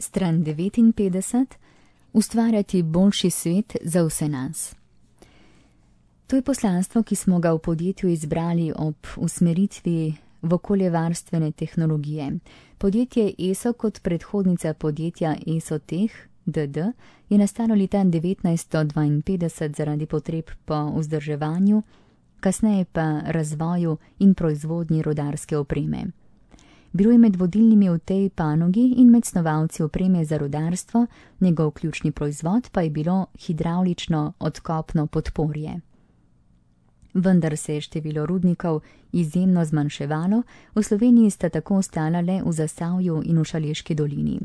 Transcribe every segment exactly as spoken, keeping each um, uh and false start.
Stran devetinpetdeset. Ustvarjati boljši svet za vse nas. To je poslanstvo, ki smo ga v podjetju izbrali ob usmeritvi v okoljevarstvene tehnologije. Podjetje E S O kot predhodnica podjetja ESOTEH D D je nastalo leta devetnajststo dvainpetdeset zaradi potreb po vzdrževanju, kasneje pa razvoju in proizvodnji rudarske opreme. Bilo je med vodilnimi v tej panogi in med snovalci opreme za rudarstvo, njegov ključni proizvod pa je bilo hidravlično odkopno podporje. Vendar se je število rudnikov izjemno zmanjševalo, v Sloveniji sta tako ostala le v Zasavju in v Šaleški dolini.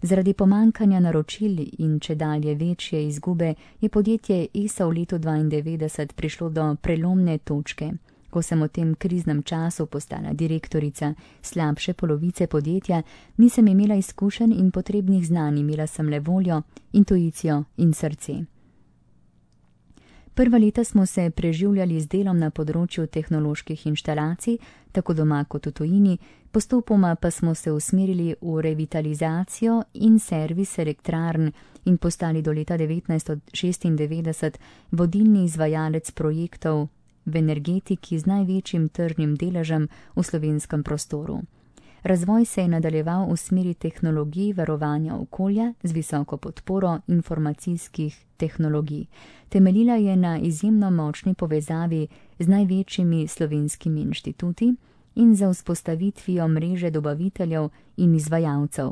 Zaradi pomankanja naročil in čedalje večje izgube je podjetje E S O v letu dvaindevetdeset prišlo do prelomne točke. Ko sem v tem kriznem času postala direktorica slabše polovice podjetja, nisem imela izkušenj in potrebnih znanj, imela sem le voljo, intuicijo in srce. Prva leta smo se preživljali z delom na področju tehnoloških inštalacij, tako doma kot v tujini, postopoma pa smo se usmerili v revitalizacijo in servis elektrarn in postali do leta devetnajststo šestindevetdeset vodilni izvajalec projektov v energetiki z največjim tržnim deležem v slovenskem prostoru. Razvoj se je nadaljeval v smeri tehnologij varovanja okolja z visoko podporo informacijskih tehnologij. Temeljila je na izjemno močni povezavi z največjimi slovenskimi inštituti in za vzpostavitvijo mreže dobaviteljev in izvajalcev.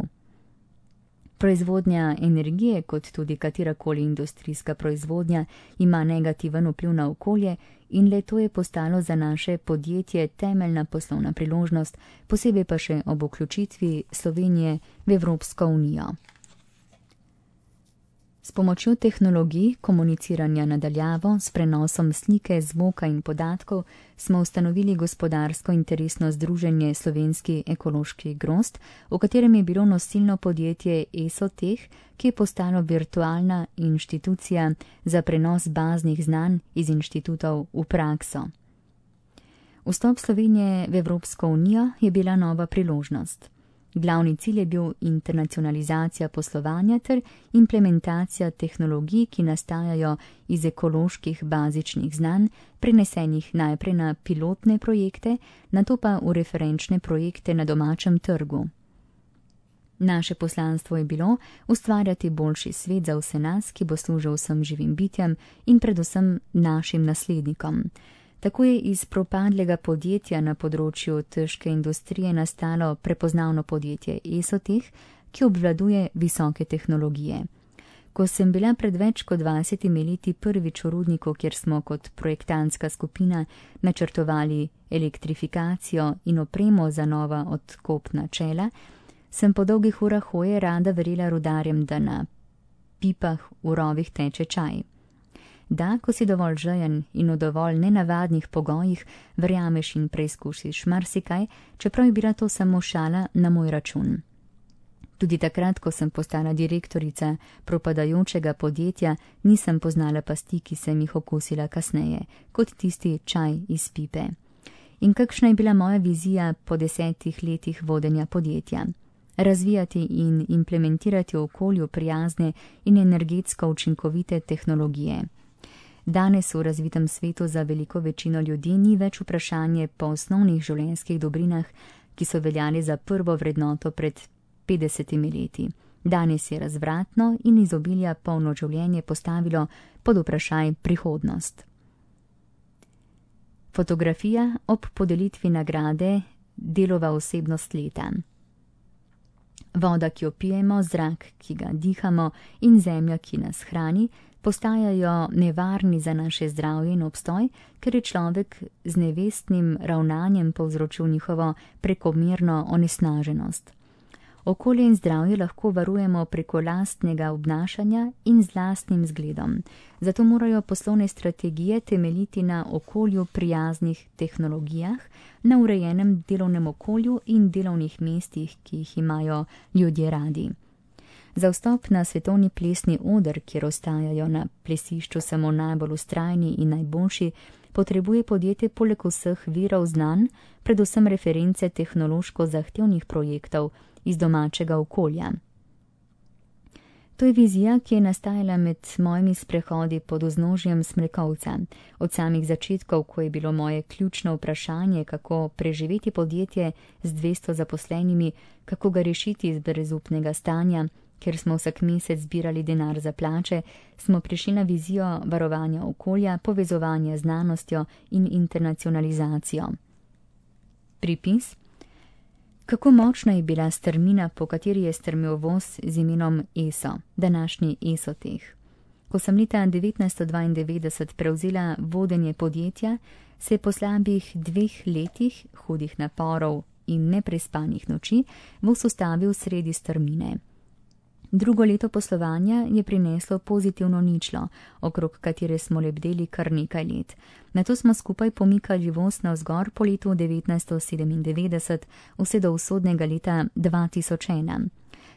Proizvodnja energije, kot tudi katerakoli industrijska proizvodnja, ima negativen vpliv na okolje in le to je postalo za naše podjetje temeljna poslovna priložnost, posebej pa še ob vključitvi Slovenije v Evropsko unijo. S pomočjo tehnologij komuniciranja na daljavo, s prenosom slike, zvoka in podatkov smo ustanovili gospodarsko interesno združenje Slovenski ekološki grozd, v katerem je bilo nosilno podjetje ESOTEH, ki je postalo virtualna inštitucija za prenos baznih znanj iz inštitutov v prakso. Vstop Slovenije v Evropsko unijo je bila nova priložnost. Glavni cilj je bil internacionalizacija poslovanja ter implementacija tehnologij, ki nastajajo iz ekoloških bazičnih znanj, prenesenih najprej na pilotne projekte, nato pa v referenčne projekte na domačem trgu. Naše poslanstvo je bilo ustvarjati boljši svet za vse nas, ki bo služil vsem živim bitjem in predvsem našim naslednikom. Tako je iz propadlega podjetja na področju težke industrije nastalo prepoznavno podjetje ESOTEH, ki obvladuje visoke tehnologije. Ko sem bila pred več kot dvajsetimi leti prvič v rudniku, kjer smo kot projektantska skupina načrtovali elektrifikacijo in opremo za nova odkopna čela, sem po dolgih urah hoje rada verjela rudarjem, da na pipah v rovih teče čaj. Da, ko si dovolj žejen in v dovolj nenavadnih pogojih, verjameš in preizkusiš marsikaj, čeprav je bila to samo šala na moj račun. Tudi takrat, ko sem postala direktorica propadajočega podjetja, nisem poznala pasti, ki sem jih okusila kasneje, kot tisti čaj iz pipe. In kakšna je bila moja vizija po desetih letih vodenja podjetja? Razvijati in implementirati v okolju prijazne in energetsko učinkovite tehnologije. Danes v razvitem svetu za veliko večino ljudi ni več vprašanje po osnovnih življenjskih dobrinah, ki so veljali za prvo vrednoto pred petdesetimi leti. Danes je razvratno in izobilja polno življenje postavilo pod vprašaj prihodnost. Fotografija ob podelitvi nagrade Delova osebnost leta. Voda, ki jo pijemo, zrak, ki ga dihamo in zemlja, ki nas hrani, postajajo nevarni za naše zdravje in obstoj, ker je človek z nevestnim ravnanjem povzročil njihovo prekomerno onesnaženost. Okolje in zdravje lahko varujemo preko lastnega obnašanja in z lastnim zgledom. Zato morajo poslovne strategije temeljiti na okolju prijaznih tehnologijah, na urejenem delovnem okolju in delovnih mestih, ki jih imajo ljudje radi. Za vstop na svetovni plesni oder, kjer ostajajo na plesišču samo najbolj vztrajni in najboljši, potrebuje podjetje poleg vseh virov znanj, predvsem reference tehnološko zahtevnih projektov iz domačega okolja. To je vizija, ki je nastajala med mojimi sprehodi pod vznožjem Smrekovca. Od samih začetkov, ko je bilo moje ključno vprašanje, kako preživeti podjetje z dvesto zaposlenimi, kako ga rešiti iz brezupnega stanja, ker smo vsak mesec zbirali denar za plače, smo prišli na vizijo varovanja okolja, povezovanja z znanostjo in internacionalizacijo. Pripis. Kako močna je bila strmina, po kateri je strmel voz z imenom E S O, današnji Esoteh. Ko sem leta devetnajststo dvaindevetdeset prevzela vodenje podjetja, se je po slabih dveh letih hudih naporov in neprespanih noči voz ustavil sredi strmine. Drugo leto poslovanja je prineslo pozitivno ničlo, okrog katere smo lebdeli kar nekaj let. Nato smo skupaj pomikali voz navzgor po letu devetnajststo sedemindevetdeset vse do usodnega leta dva tisoč ena.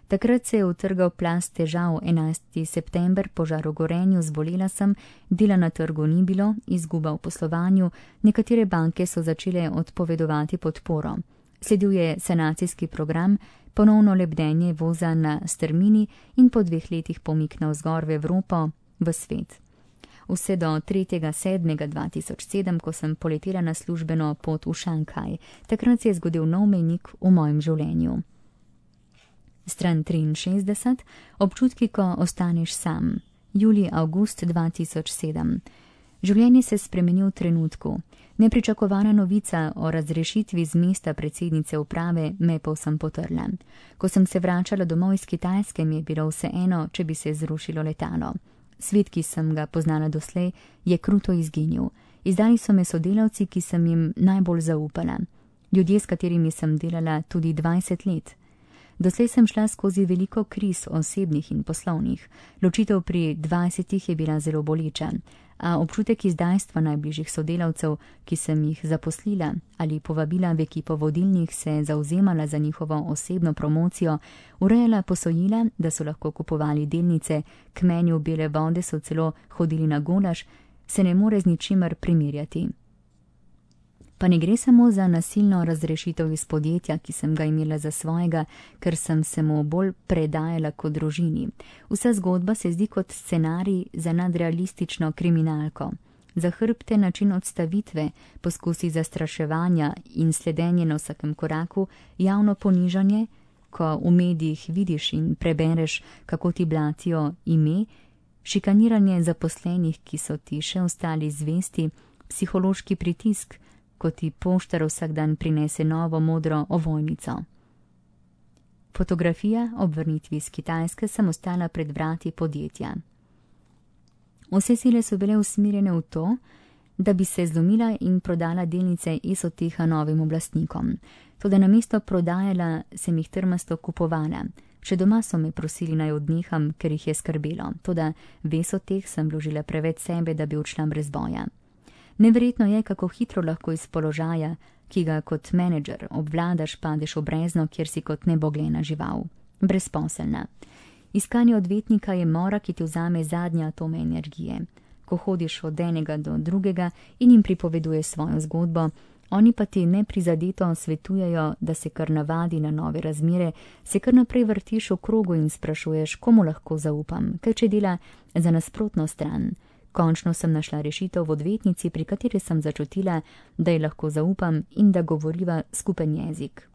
Takrat se je utrgal plast težav. enajstega september, požar v Gorenju, zbolela sem, dela na trgu ni bilo, izguba v poslovanju, nekatere banke so začele odpovedovati podporo. Sledil je sanacijski program, ponovno lebdenje voza na strmini in po dveh letih pomik navzgor v Evropo, v svet. Vse do tretjega sedmega dva tisoč sedem, ko sem poletela na službeno pot v Šanghaj. Takrat se je zgodil nov mejnik v mojem življenju. Stran triinšestdeset. Občutki, ko ostaneš sam. Julij-avgust dva tisoč sedem. Življenje se spremeni v trenutku. Nepričakovana novica o razrešitvi z mesta predsednice uprave me povsem potrla. Ko sem se vračala domov iz Kitajske, mi je bilo vseeno, če bi se zrušilo letalo. Svet, ki sem ga poznala doslej, je kruto izginil. Izdali so me sodelavci, ki sem jim najbolj zaupala. Ljudje, s katerimi sem delala tudi dvajset let. Doslej sem šla skozi veliko kriz, osebnih in poslovnih. Ločitev pri dvajsetih je bila zelo boleča, a občutek izdajstva najbližjih sodelavcev, ki sem jih zaposlila ali povabila v ekipo vodilnih, se zauzemala za njihovo osebno promocijo, urejala posojila, da so lahko kupovali delnice, k meni v Bele vode so celo hodili na golaž, se ne more z ničimer primerjati. Pa ne gre samo za nasilno razrešitev iz podjetja, ki sem ga imela za svojega, ker sem se mu bolj predajala kot družini. Vsa zgodba se zdi kot scenarij za nadrealistično kriminalko. Za hrbte način odstavitve, poskusi zastraševanja in sledenje na vsakem koraku, javno ponižanje, ko v medijih vidiš in prebereš, kako ti blatijo ime, šikaniranje zaposlenih, ki so ti še ostali zvesti, psihološki pritisk, ko ti poštar vsak dan prinese novo modro ovojnico. Fotografija ob vrnitvi iz Kitajske sem ostala pred vrati podjetja. Vse sile so bile usmerjene v to, da bi se zlomila in prodala delnice Esoteha novim oblastnikom. Toda namesto prodajala sem jih trmasto kupovala. Še doma so me prosili naj odneham, ker jih je skrbelo. Toda v Esoteh sem vložila preveč sebe, da bi odšla brez boja. Neverjetno je, kako hitro lahko iz položaja, ki ga kot menedžer obvladaš, padeš v brezno, kjer si kot neboglena žival. Brezposelna. Iskanje odvetnika je mora, ki ti vzame zadnje atome energije. Ko hodiš od enega do drugega in jim pripoveduješ svojo zgodbo, oni pa ti neprizadeto svetujejo, da se kar navadi na nove razmere, se kar naprej vrtiš v krogu in sprašuješ, komu lahko zaupam, kaj če dela za nasprotno stran. Končno sem našla rešitev v odvetnici, pri kateri sem začutila, da ji lahko zaupam in da govoriva skupen jezik.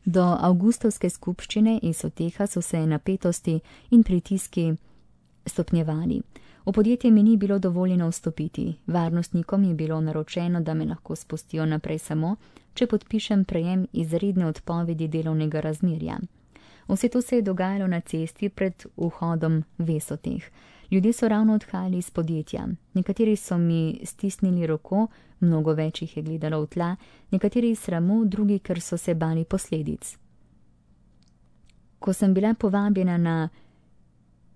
Do avgustovske skupščine Esoteha so se napetosti in pritiski stopnjevali. V podjetje mi ni bilo dovoljeno vstopiti. Varnostnikom je bilo naročeno, da me lahko spustijo naprej samo, če podpišem prejem izredne odpovedi delovnega razmerja. Vse to se je dogajalo na cesti pred vhodom v Esoteh. Ljudje so ravno odhajali iz podjetja. Nekateri so mi stisnili roko, mnogo več jih je gledalo v tla, nekateri iz sramu, drugi, ker so se bali posledic. Ko sem bila povabljena na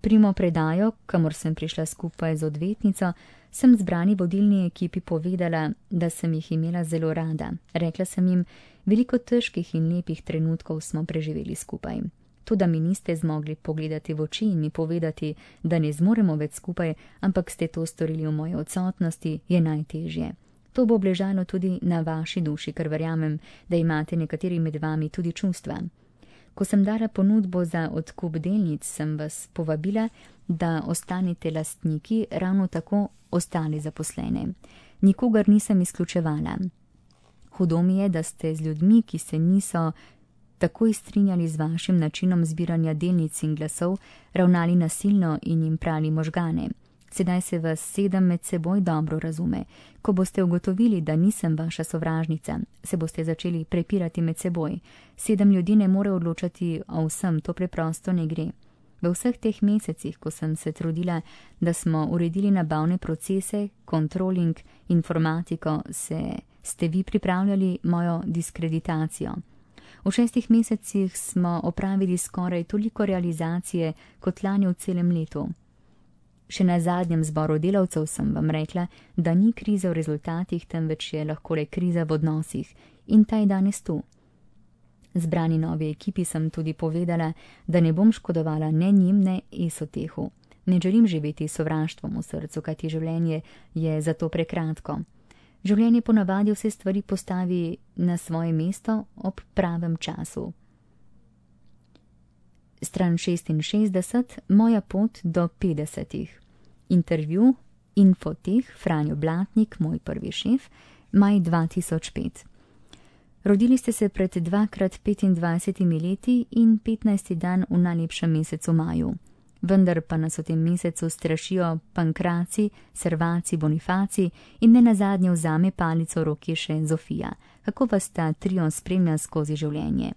primopredajo, kamor sem prišla skupaj z odvetnico, sem zbrani vodilni ekipi povedala, da sem jih imela zelo rada. Rekla sem jim, veliko težkih in lepih trenutkov smo preživeli skupaj. To, da mi niste zmogli pogledati v oči in mi povedati, da ne zmoremo več skupaj, ampak ste to storili v moji odsotnosti, je najtežje. To bo obležalo tudi na vaši duši, ker verjamem, da imate nekateri med vami tudi čustva. Ko sem dala ponudbo za odkup delnic, sem vas povabila, da ostanete lastniki, ravno tako ostali zaposlene. Nikogar nisem izključevala. Hudo mi je, da ste z ljudmi, ki se niso takoj strinjali z vašim načinom zbiranja delnic in glasov, ravnali nasilno in jim prali možgane. Sedaj se vas sedem med seboj dobro razume. Ko boste ugotovili, da nisem vaša sovražnica, se boste začeli prepirati med seboj. Sedem ljudi ne more odločati o vsem, to preprosto ne gre. V vseh teh mesecih, ko sem se trudila, da smo uredili nabavne procese, kontroling, informatiko, se ste vi pripravljali mojo diskreditacijo. V šestih mesecih smo opravili skoraj toliko realizacije kot lani v celem letu. Še na zadnjem zboru delavcev sem vam rekla, da ni kriza v rezultatih, temveč je lahko le kriza v odnosih, in ta je danes tu. Zbrani novi ekipi sem tudi povedala, da ne bom škodovala ne njim, ne Esotehu. Ne želim živeti s sovraštvom v srcu, kajti življenje je zato prekratko. Življenje ponavadi vse stvari postavi na svoje mesto ob pravem času. Stran šestinšestdeset, moja pot do petdesetih. Intervju, Infoteh, Franjo Blatnik, moj prvi šef, maj dva tisoč pet. Rodili ste se pred dvakrat petindvajsetimi leti in petnajsti dan v najlepšem mesecu maju. Vendar pa nas v tem mesecu strašijo pankraci, servaci, bonifaci in ne nazadnje vzame palico v roki še Zofija. Kako vas ta trio spremlja skozi življenje?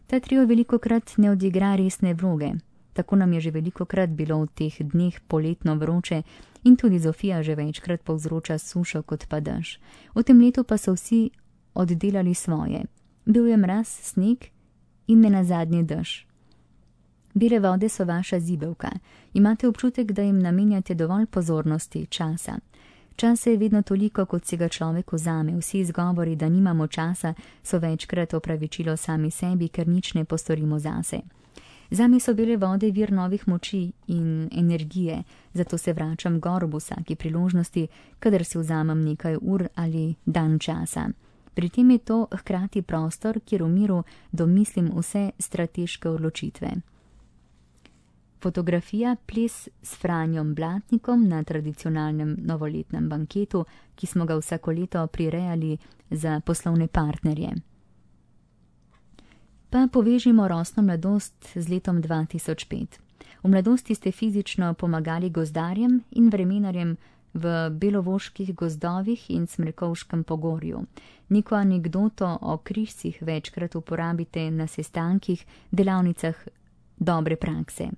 Ta trio velikokrat ne odigra resne vloge. Tako nam je že velikokrat bilo v teh dneh poletno vroče in tudi Zofija že večkrat povzroča sušo kot pa dež. V tem letu pa so vsi oddelali svoje. Bil je mraz, sneg in ne nazadnje dež. Bele vode so vaša zibelka. Imate občutek, da jim namenjate dovolj pozornosti, časa. Časa je vedno toliko, kot se ga človek vzame. Vsi izgovori, da nimamo časa, so večkrat opravičilo sami sebi, ker nič ne postorimo zase. Zame so bele vode vir novih moči in energije, zato se vračam gor ob vsaki priložnosti, kadar si vzamem nekaj ur ali dan časa. Pri tem je to hkrati prostor, kjer v miru domislim vse strateške odločitve. Fotografija ples s Franjom Blatnikom na tradicionalnem novoletnem banketu, ki smo ga vsako leto prirejali za poslovne partnerje. Pa povežimo rosno mladost z letom dva tisoč pet. V mladosti ste fizično pomagali gozdarjem in vremenarjem v belovoških gozdovih in Smrekovškem pogorju. Neko anekdoto o križcih večkrat uporabite na sestankih, delavnicah dobre prakse.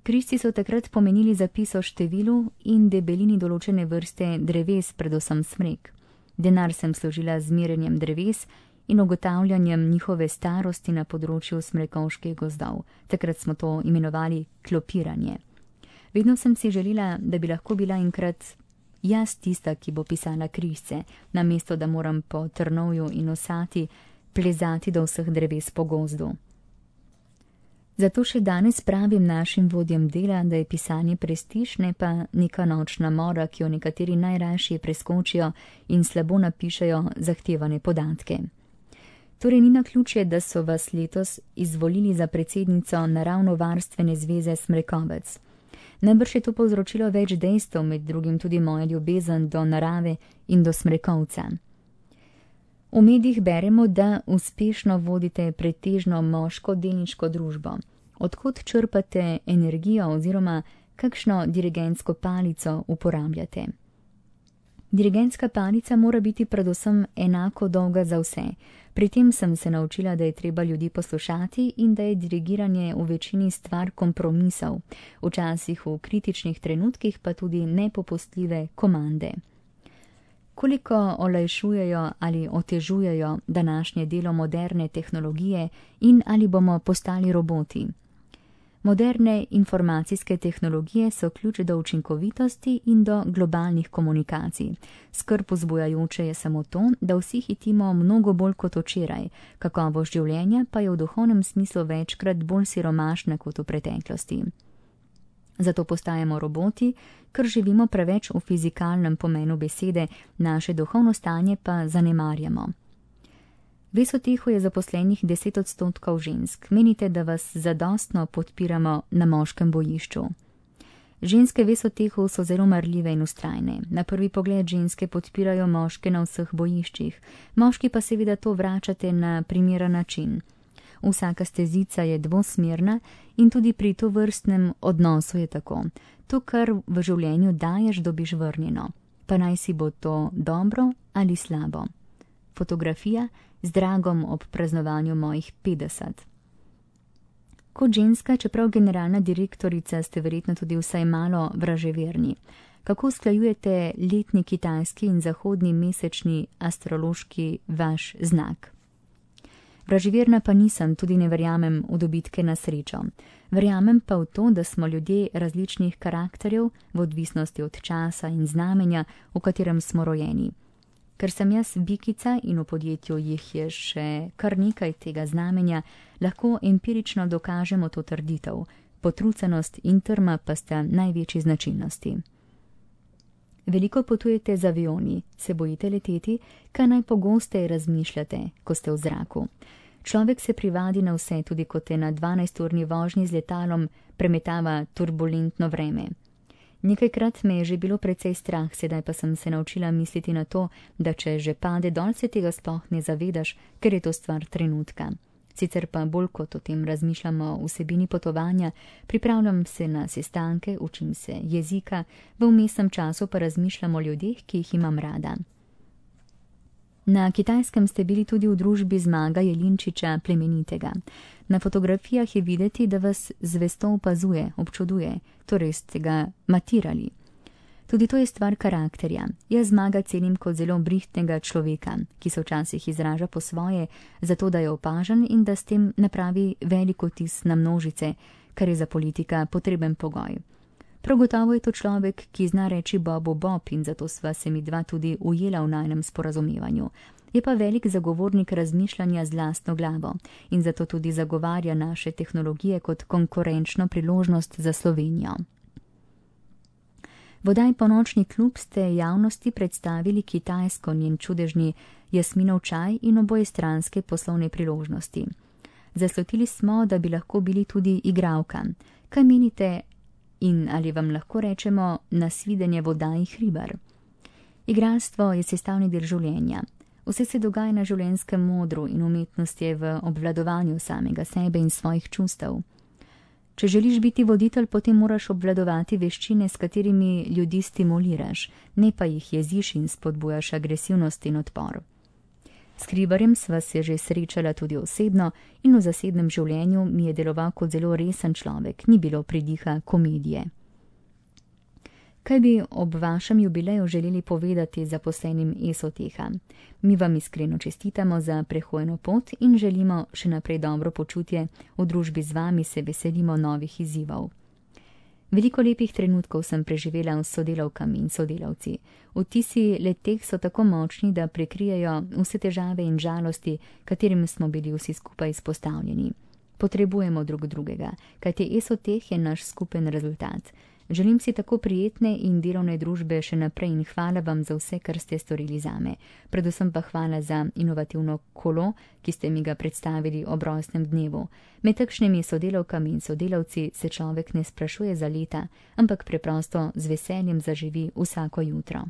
Križci so takrat pomenili zapis o številu in debelini določene vrste dreves, predvsem smrek. Denar sem služila z merjenjem dreves in ugotavljanjem njihove starosti na področju smrekovških gozdov. Takrat smo to imenovali klopiranje. Vedno sem si želela, da bi lahko bila enkrat jaz tista, ki bo pisala križce, namesto da moram po trnovju in osati plezati do vseh dreves po gozdu. Zato še danes pravim našim vodjem dela, da je pisanje prestiž, ne pa neka nočna mora, ki jo nekateri najrajši preskočijo in slabo napišejo zahtevane podatke. Torej ni naključje, da so vas letos izvolili za predsednico Naravnovarstvene zveze Smrekovec. Najbrž je to povzročilo več dejstev, med drugim tudi moja ljubezen do narave in do Smrekovca. V medijih beremo, da uspešno vodite pretežno moško delniško družbo. Odkot črpate energijo oziroma kakšno dirigentsko palico uporabljate? Dirigentska palica mora biti predvsem enako dolga za vse. Pri tem sem se naučila, da je treba ljudi poslušati in da je dirigiranje v večini stvar kompromisov, včasih v kritičnih trenutkih pa tudi nepopustljive komande. Koliko olajšujejo ali otežujejo današnje delo moderne tehnologije in ali bomo postali roboti? Moderne informacijske tehnologije so ključ do učinkovitosti in do globalnih komunikacij. Skrb vzbujajoče je samo to, da vsi hitimo mnogo bolj kot včeraj, kakovost življenja pa je v duhovnem smislu večkrat bolj siromašna kot v preteklosti. Zato postajamo roboti, ker živimo preveč v fizikalnem pomenu besede, naše duhovno stanje pa zanemarjamo. V Esotehu je zaposlenih deset odstotkov žensk. Menite, da vas zadostno podpiramo na moškem bojišču? Ženske v Esotehu so zelo marljive in vztrajne. Na prvi pogled ženske podpirajo moške na vseh bojiščih. Moški pa seveda to vračate na primeren način. Vsaka stezica je dvosmerna in tudi pri tovrstnem odnosu je tako. To, kar v življenju daješ, dobiš vrnjeno. Pa naj si bo to dobro ali slabo. Fotografija z Dragom ob praznovanju mojih petdeset. Kot ženska, čeprav generalna direktorica, ste verjetno tudi vsaj malo vraževerni. Kako usklajujete letni kitajski in zahodni mesečni astrološki vaš znak? Vraževerna pa nisem, tudi ne verjamem v dobitke na srečo. Verjamem pa v to, da smo ljudje različnih karakterjev v odvisnosti od časa in znamenja, v katerem smo rojeni. Ker sem jaz bikica in v podjetju jih je še kar nekaj tega znamenja, lahko empirično dokažemo to trditev. Potrucenost in trma pa sta največji značilnosti. Veliko potujete z avioni, se bojite leteti, kaj najpogosteje razmišljate, ko ste v zraku. Človek se privadi na vse, tudi ko te na dvanajsturni vožnji z letalom premetava turbulentno vreme. Nekajkrat me je že bilo precej strah, sedaj pa sem se naučila misliti na to, da če že pade dol, se tega sploh ne zavedaš, ker je to stvar trenutka. Sicer pa bolj kot o tem razmišljamo o vsebini potovanja, pripravljam se na sestanke, učim se jezika, v vmesnem času pa razmišljam o ljudeh, ki jih imam rada. Na Kitajskem ste bili tudi v družbi Zmaga Jelinčiča Plemenitega. Na fotografijah je videti, da vas zvesto opazuje, občuduje, torej ste ga matirali. Tudi to je stvar karakterja. Jaz Zmaga cenim kot zelo brihtnega človeka, ki se včasih izraža po svoje, zato da je opažen in da s tem napravi velik vtis na množice, kar je za politika potreben pogoj. Prav gotovo je to človek, ki zna reči Bobu Bob in zato sva se mi dva tudi ujela v najnem sporazumevanju. Je pa velik zagovornik razmišljanja z lastno glavo in zato tudi zagovarja naše tehnologije kot konkurenčno priložnost za Slovenijo. V oddaji Ponočni klub ste javnosti predstavili Kitajsko, njen čudežni jasminov čaj in obojestranske poslovne priložnosti. Zaslutili smo, da bi lahko bili tudi igralka. Kaj menite in ali vam lahko rečemo nasvidenje v oddaji Hribar? Igralstvo je sestavni del življenja. Vse se dogaja na življenjskem modru in umetnost je v obvladovanju samega sebe in svojih čustev. Če želiš biti voditelj, potem moraš obvladovati veščine, s katerimi ljudi stimuliraš, ne pa jih jeziš in spodbujaš agresivnost in odpor. S Hribarjem sva se že srečala tudi osebno in v zasebnem življenju mi je deloval kot zelo resen človek, ni bilo pridiha komedije. Kaj bi ob vašem jubileju želeli povedati zaposlenim Esoteha? Mi vam iskreno čestitamo za prehojeno pot in želimo še naprej dobro počutje, v družbi z vami se veselimo novih izzivov. Veliko lepih trenutkov sem preživela s sodelavkami in sodelavci. Vtisi leteh so tako močni, da prekrijejo vse težave in žalosti, katerim smo bili vsi skupaj izpostavljeni. Potrebujemo drug drugega, kajti Esoteh je naš skupen rezultat. Želim si tako prijetne in delovne družbe še naprej in hvala vam za vse, kar ste storili zame. Predvsem pa hvala za inovativno kolo, ki ste mi ga predstavili ob rojstnem dnevu. Med takšnimi sodelavkami in sodelavci se človek ne sprašuje za leta, ampak preprosto z veseljem zaživi vsako jutro.